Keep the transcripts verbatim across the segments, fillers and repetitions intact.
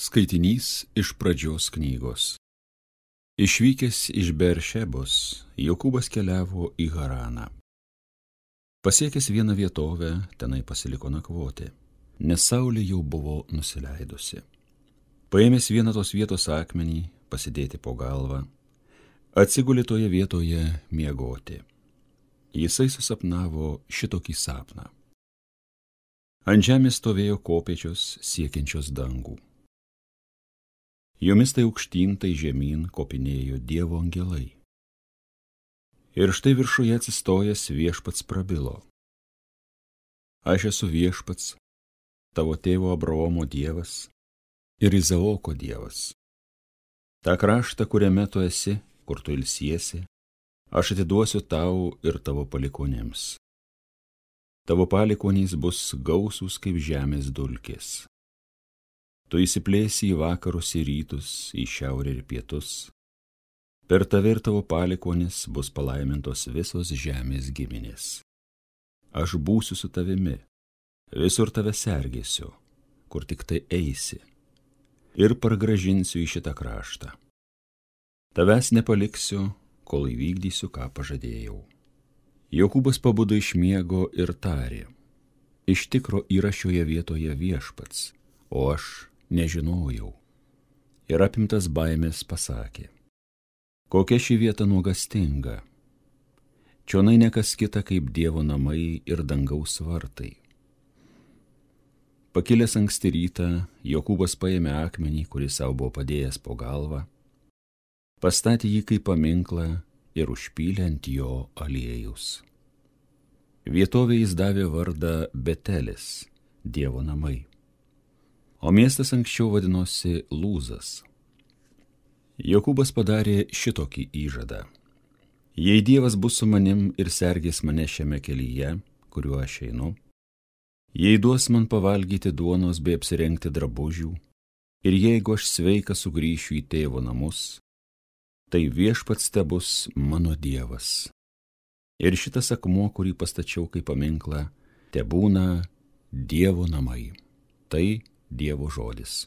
Skaitinys iš pradžios knygos. Išvykęs iš Beršebos, Jokūbas keliavo į Haraną. Pasiekęs vieną vietovę, tenai pasiliko nakvoti, nes saulė jau buvo nusileidusi. Paėmęs vieną tos vietos akmenį, pasidėti po galvą, atsigulė toje vietoje miegoti. Jisai susapnavo šitokį sapną. Ant žemės stovėjo kopėčios siekiančios dangų. Jomis tai aukštyn, tai žemyn kopinėjo Dievo angelai. Ir štai viršuje atsistojęs viešpats prabilo. Aš esu viešpats, tavo tėvo Abraomo Dievas ir Izaoko Dievas. Ta kraštą, kuriame tu esi, kur tu ilsiesi, aš atiduosiu tau ir tavo palikonėms. Tavo palikonys bus gausūs kaip žemės dulkės. Tu įsiplėsi į vakarus ir rytus, į šiaurę ir pietus. Per tave ir tavo palikonis bus palaimintos visos žemės giminės. Aš būsiu su tavimi, visur tave sergėsiu, kur tik tai eisi, ir pargražinsiu į šitą kraštą. Tavęs nepaliksiu, kol įvykdysiu, ką pažadėjau. Jokūbas pabudo iš miego ir tarė: iš tikro yra šioje vietoje viešpats, o aš nežinojau. Ir apimtas baimės pasakė: kokia ši vieta nuogastinga. Čionai nekas kita kaip Dievo namai ir dangaus vartai. Pakilęs anksti rytą, Jokūbas paėmė akmenį, kuris savo buvo padėjęs po galvą, pastatė jį kaip paminklą ir užpylė ant jo aliejus. Vietovė jis davė vardą Betelis, Dievo namai. O miestas anksčiau vadinosi Lūzas. Jokūbas padarė šitokį įžadą: jei Dievas bus su manim ir sergės mane šiame kelyje, kuriuo aš einu, jei duos man pavalgyti duonos bei apsirengti drabužių, ir jeigu aš sveikas sugrįšiu į tėvo namus, tai viešpats tebus mano Dievas. Ir šitas akmuo, kurį pastačiau kaip paminklą, tebūna Dievo namai. Tai Dievo žodis.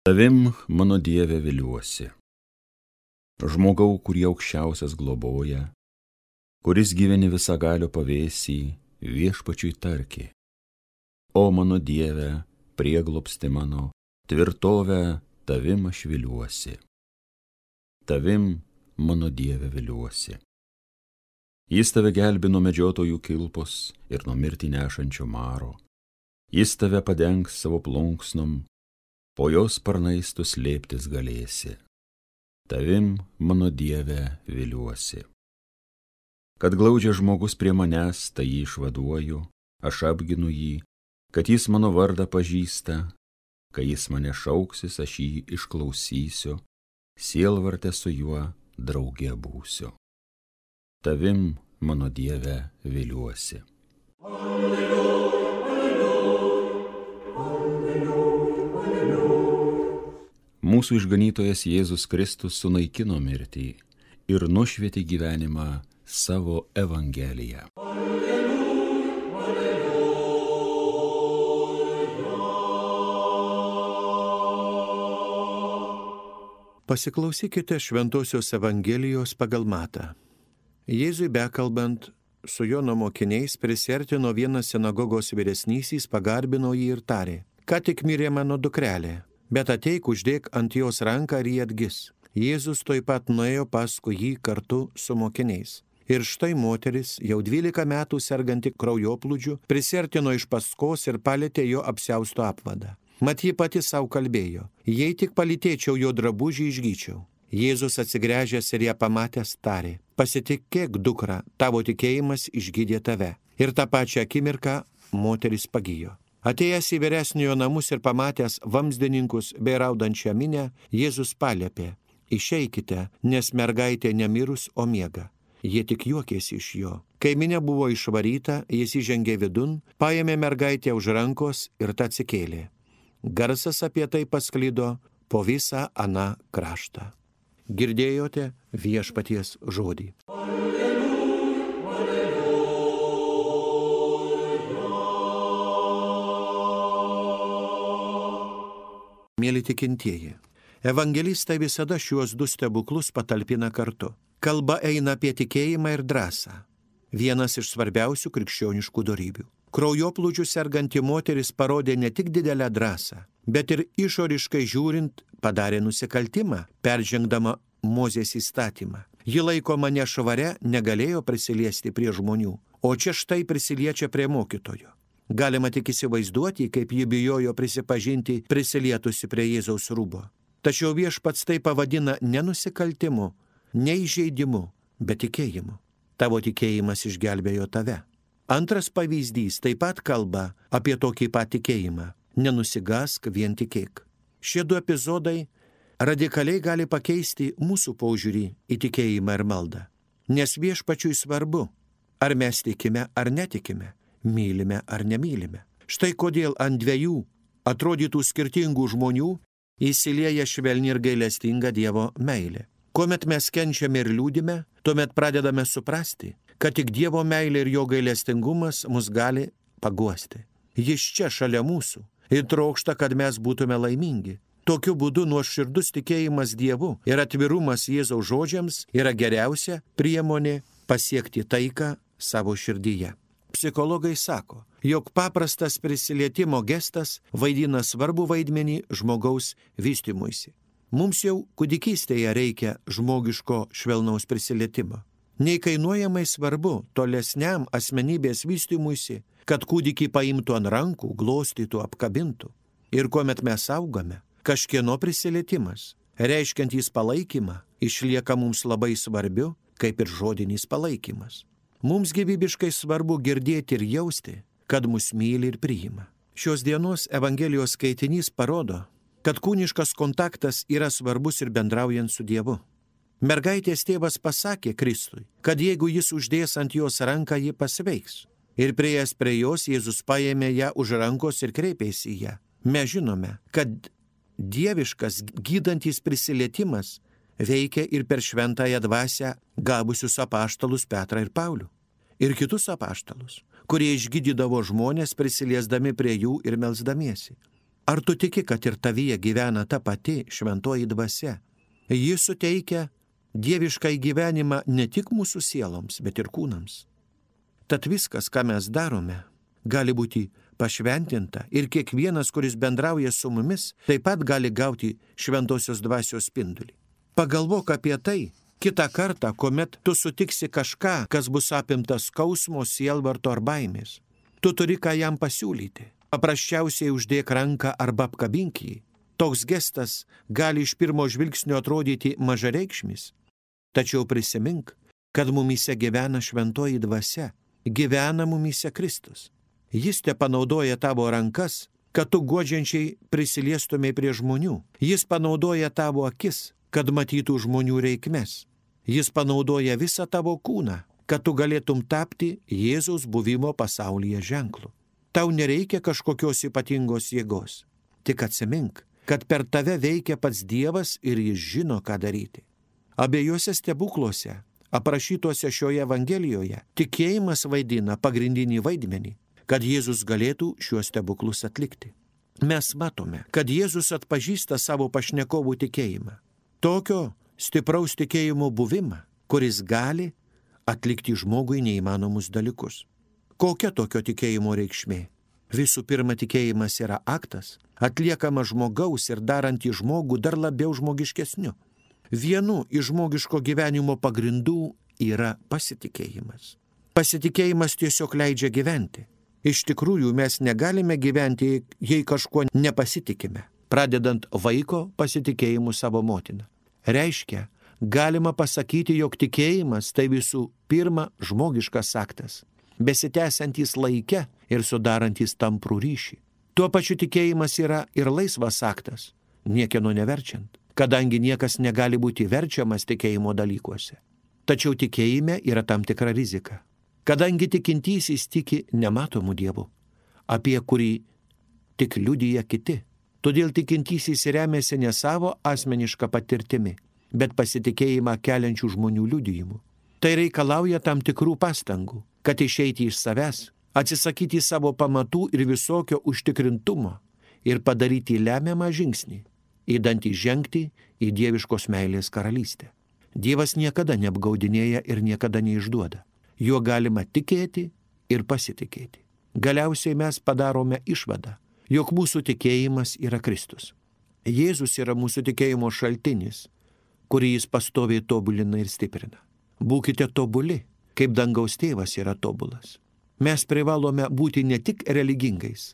Tavim, mano Dieve, viliuosi. Žmogau, kurį aukščiausias globoja, kuris gyveni visagalio pavėsį, viešpačiui tarki: o mano Dieve, prieglobsti mano, tvirtovę, tavim aš viliuosi. Tavim, mano Dieve, viliuosi. Jis tave gelbi nuo medžiotojų kilpos ir nuo mirtį nešančio maro. Jis tave padengs savo plunksnom, po jos sparnais tu slėptis galėsi. Tavim, mano Dieve, viliuosi. Kad glaudžia žmogus prie manęs, tai jį išvaduoju, aš apginu jį, kad jis mano vardą pažįsta, kai jis mane šauksis, aš jį išklausysiu, sielvarte su juo drauge būsiu. Tavim, mano Dieve, viliuosi. Alleluja, alleluja, alleluja, alleluja. Mūsų išganytojas Jėzus Kristus sunaikino mirtį ir nušvietė gyvenimą savo evangeliją. Alleluja, alleluja. Pasiklausykite Šventosios Evangelijos pagal Matą. Jėzui bekalbant su Jono mokiniais prisiartino vienas sinagogos vyresnysis, pagarbino jį ir tarė: ką tik mirė mano dukrelė, bet ateik, uždėk ant jos ranką ir jį atgis. Jėzus tuoj pat nuėjo paskui jį kartu su mokiniais. Ir štai moteris, jau dvylika metų serganti kraujoplūdžiu, prisiartino iš paskos ir palietė jo apsiausto apvadą. Mat ji pati savo kalbėjo: jei tik palytėčiau jo drabužį, išgyčiau. Jėzus atsigręžęs ir ją pamatęs tarė: pasitikėk, dukra, tavo tikėjimas išgydė tave. Ir tą pačią akimirką moteris pagijo. Atėjęs į vyresniojo namus ir pamatęs vamsdininkus bei raudančią minią, Jėzus paliepė: išeikite, nes mergaitė nemirus, o miega. Jie tik juokėsi iš jo. Kai minia buvo išvaryta, jis įžengė vidun, paėmė mergaitę už rankos ir ta atsikėlė. Garsas apie tai pasklido po visą aną kraštą. Girdėjote viešpaties žodį. Mėly tikintieji, evangelistai visada šiuos du stebuklus patalpina kartu. Kalba eina apie tikėjimą ir drąsą. Vienas iš svarbiausių krikščioniškų dorybių. Kraujoplūdžių serganti moteris parodė ne tik didelę drąsą, bet ir išoriškai žiūrint padarė nusikaltimą, peržengdama Mozės įstatymą. Ji laikoma nešvaria, negalėjo prisiliesti prie žmonių, o čia štai prisiliečia prie mokytojo. Galima tik įsivaizduoti, kaip ji bijojo prisipažinti prisilietusi prie Jėzaus rūbo. Tačiau viešpats tai pavadina ne nusikaltimu, ne įžeidimu, bet tikėjimu. Tavo tikėjimas išgelbėjo tave. Antras pavyzdys taip pat kalba apie tokį pat tikėjimą. Nenusigask, vien tikėk. Šie du epizodai radikaliai gali pakeisti mūsų požiūrį į tikėjimą ir maldą. Nes viešpačiui svarbu, ar mes tikime ar netikime, mylime ar nemylime. Štai kodėl ant dviejų atrodytų skirtingų žmonių įsilieja švelni ir gailestinga Dievo meilė. Kuomet mes kenčiame ir liūdime, tuomet pradedame suprasti, kad tik Dievo meilė ir jo gailestingumas mus gali paguosti. Jis čia šalia mūsų ir trokšta, kad mes būtume laimingi. Tokiu būdu nuoširdus tikėjimas Dievu ir atvirumas Jėzaus žodžiams yra geriausia priemonė pasiekti taiką savo širdyje. Psichologai sako, jog paprastas prisilietimo gestas vaidina svarbų vaidmenį žmogaus vystymuisi. Mums jau kūdikystėje reikia žmogiško švelnaus prisilietimo. Neįkainuojamai svarbu tolesniam asmenybės vystymuisi, kad kūdikį paimtų ant rankų, glostytų, apkabintų. Ir kuomet mes augame, kažkieno prisilietimas, reiškiantys palaikymą, išlieka mums labai svarbiu, kaip ir žodinis palaikymas. Mums gyvybiškai svarbu girdėti ir jausti, kad mus myli ir priima. Šios dienos Evangelijos skaitinys parodo, kad kūniškas kontaktas yra svarbus ir bendraujant su Dievu. Mergaitės tėvas pasakė Kristui, kad jeigu jis uždės ant jos ranką, ji pasveiks. Ir priėjęs prie jos, Jėzus paėmė ją už rankos ir kreipėsi į ją. Mes žinome, kad dieviškas gydantis prisilietimas veikia ir per šventąją dvasią gabusius apaštalus Petrą ir Paulių. Ir kitus apaštalus, kurie išgydydavo žmonės prisiliesdami prie jų ir melsdamiesi. Ar tu tiki, kad ir tavyje gyvena ta pati šventoji dvasia? Ji suteikia dieviškai gyvenimą ne tik mūsų sieloms, bet ir kūnams. Tad viskas, ką mes darome, gali būti pašventinta ir kiekvienas, kuris bendrauja su mumis, taip pat gali gauti šventosios dvasios spindulį. Pagalvok apie tai kitą kartą, kuomet tu sutiksi kažką, kas bus apimtas skausmo, sielvarto ar baimės. Tu turi ką jam pasiūlyti. Paprasčiausiai uždėk ranką arba apkabink jį. Toks gestas gali iš pirmo žvilgsnio atrodyti mažareikšmis. Tačiau prisimink, kad mumyse gyvena šventoji dvasia, gyvena mumyse Kristus. Jis te panaudoja tavo rankas, kad tu guodžiančiai prisiliestumai prie žmonių. Jis panaudoja tavo akis, kad matytų žmonių reikmes. Jis panaudoja visą tavo kūną, kad tu galėtum tapti Jėzaus buvimo pasaulyje ženklu. Tau nereikia kažkokios ypatingos jėgos. Tik atsimink, kad per tave veikia pats Dievas ir jis žino, ką daryti. Abiejose stebukluose, aprašytuose šioje Evangelijoje, tikėjimas vaidina pagrindinį vaidmenį, kad Jėzus galėtų šiuos stebuklus atlikti. Mes matome, kad Jėzus atpažįsta savo pašnekovų tikėjimą. Tokio stipraus tikėjimo buvimą, kuris gali atlikti žmogui neįmanomus dalykus. Kokia tokio tikėjimo reikšmė? Visų pirma, tikėjimas yra aktas, atliekamas žmogaus ir darantį žmogų dar labiau žmogiškesniu. Vienu iš žmogiško gyvenimo pagrindų yra pasitikėjimas. Pasitikėjimas tiesiog leidžia gyventi. Iš tikrųjų, mes negalime gyventi, jei kažkuo nepasitikime, pradedant vaiko pasitikėjimu savo motiną. Reiškia, galima pasakyti, jog tikėjimas tai visų pirma žmogiškas aktas, besitęsiantys laike ir sudarantys tamprų ryšį. Tuo pačiu tikėjimas yra ir laisvas aktas, niekieno neverčiant, kadangi niekas negali būti verčiamas tikėjimo dalykuose. Tačiau tikėjime yra tam tikra rizika. Kadangi tikintysis tiki nematomų dievų, apie kurį tik liudija kiti, todėl tikintysis remiasi ne savo asmenišką patirtimi, bet pasitikėjimą keliančių žmonių liudijimu. Tai reikalauja tam tikrų pastangų, kad išeiti iš savęs, atsisakyti savo pamatų ir visokio užtikrintumo ir padaryti lemiamą žingsnį, įdantį žengti į dieviškos meilės karalystę. Dievas niekada neapgaudinėja ir niekada neišduoda. Juo galima tikėti ir pasitikėti. Galiausiai mes padarome išvadą, jog mūsų tikėjimas yra Kristus. Jėzus yra mūsų tikėjimo šaltinis, kurį jis pastoviai tobulina ir stiprina. Būkite tobuli, kaip dangaus tėvas yra tobulas. Mes privalome būti ne tik religingais,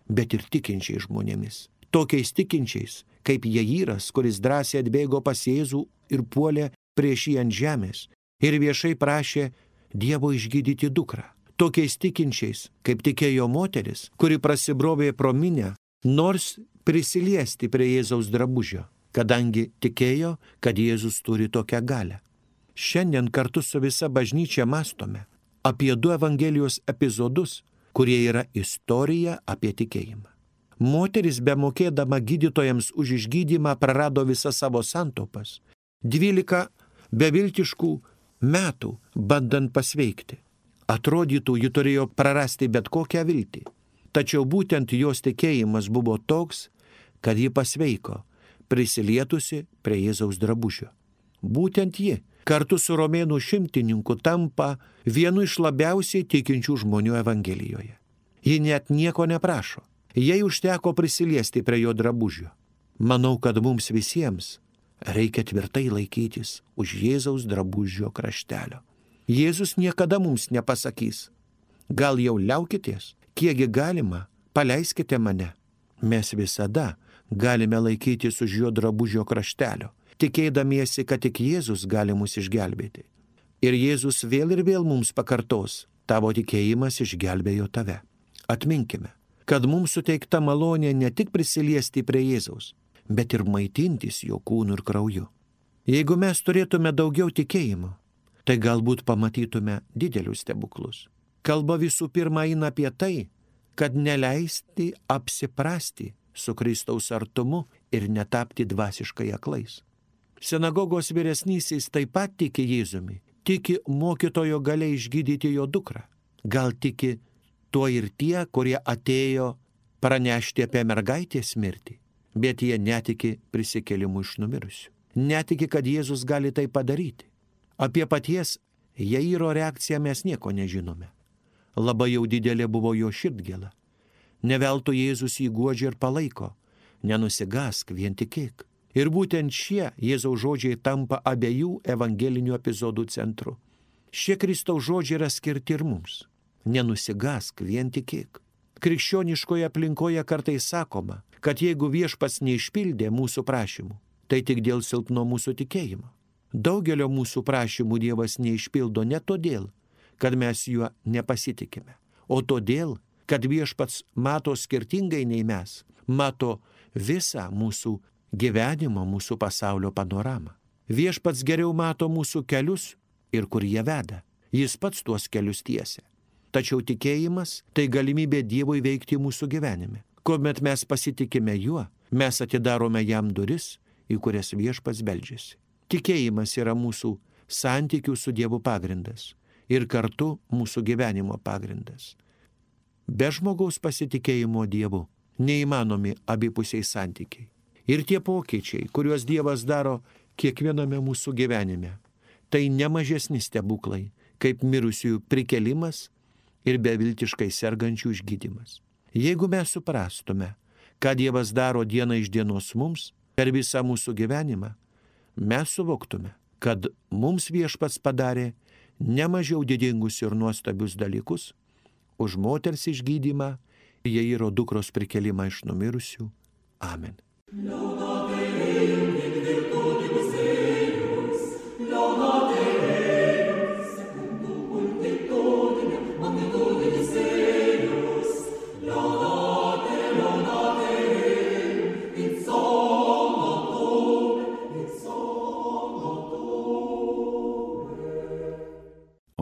bet ir tikinčiais žmonėmis. Tokiais tikinčiais, kaip Jairas, kuris drąsiai atbėgo pas Jėzų ir puolė prieš jį ant žemės ir viešai prašė Dievo išgydyti dukrą. Tokiais tikinčiais, kaip tikėjo moteris, kuri prasibrovė pro minią, nors prisiliesti prie Jėzaus drabužio, kadangi tikėjo, kad Jėzus turi tokią galią. Šiandien kartu su visa bažnyčia mąstome apie du Evangelijos epizodus, kurie yra istorija apie tikėjimą. Moteris, bemokėdama gydytojams už išgydymą, prarado visas savo santaupas. Dvylika beviltiškų metų bandant pasveikti. Atrodytų, ji turėjo prarasti bet kokią viltį. Tačiau būtent jos tikėjimas buvo toks, kad ji pasveiko, prisilietusi prie Jėzaus drabužio. Būtent ji, kartu su romėnų šimtininku, tampa vienu iš labiausiai tikinčių žmonių Evangelijoje. Ji net nieko neprašo. Jai užteko prisiliesti prie jo drabužio. Manau, kad mums visiems reikia tvirtai laikytis už Jėzaus drabužio kraštelio. Jėzus niekada mums nepasakys, gal jau liaukitės, kiekgi galima, paleiskite mane. Mes visada galime laikytis už jo drabužio kraštelio, tikėdamiesi, kad tik Jėzus gali mus išgelbėti. Ir Jėzus vėl ir vėl mums pakartos, tavo tikėjimas išgelbėjo tave. Atminkime, kad mums suteikta malonė ne tik prisiliesti prie Jėzaus, bet ir maitintis jo kūnu ir krauju. Jeigu mes turėtume daugiau tikėjimo, tai galbūt pamatytume didelius stebuklus. Kalba visų pirma eina apie tai, kad neleisti apsiprasti su Kristaus artumu ir netapti dvasiškai aklais. Sinagogos vyresnysis taip pat tiki Jėzumi, tiki mokytojo galia išgydyti jo dukrą. Gal tiki tuo ir tie, kurie atėjo pranešti apie mergaitės mirtį, bet jie netiki prisikėlimu iš numirusių. Netiki, kad Jėzus gali tai padaryti. Apie paties Jairo reakciją mes nieko nežinome. Labai jau didelė buvo jo širdgėla. Neveltui Jėzus jį guodžia ir palaiko. Nenusigask, vien tikėk. Ir būtent šie Jėzaus žodžiai tampa abiejų evangelinių epizodų centru. Šie Kristaus žodžiai yra skirti ir mums. Nenusigask, vien tikėk. Krikščioniškoje aplinkoje kartais sakoma, kad jeigu Viešpats neišpildė mūsų prašymų, tai tik dėl silpno mūsų tikėjimo. Daugelio mūsų prašymų Dievas neišpildo ne todėl, kad mes juo nepasitikime, o todėl, kad Viešpats mato skirtingai nei mes, mato visą mūsų gyvenimo, mūsų pasaulio panoramą. Viešpats geriau mato mūsų kelius ir kur jie veda. Jis pats tuos kelius tiesia. Tačiau tikėjimas tai galimybė Dievui veikti mūsų gyvenime. Kuomet mes pasitikime juo, mes atidarome jam duris, į kurias Viešpats beldžiasi. Tikėjimas yra mūsų santykių su Dievu pagrindas ir kartu mūsų gyvenimo pagrindas. Be žmogaus pasitikėjimo Dievu neįmanomi abipusiai santykiai. Ir tie pokyčiai, kuriuos Dievas daro kiekviename mūsų gyvenime, tai nemažesni stebuklai, kaip mirusiųjų prikelimas ir beviltiškai sergančių išgydymas. Jeigu mes suprastume, ką Dievas daro diena iš dienos mums, per visą mūsų gyvenimą, mes suvoktume, kad mums Viešpats padarė nemažiau didingus ir nuostabius dalykus už moters išgydymą, Jairo dukros prikelimą iš numirusių. Amen.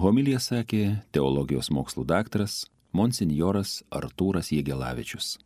Homiliją homiliją sakė teologijos mokslų daktaras monsinjoras Artūras Jegelavičius.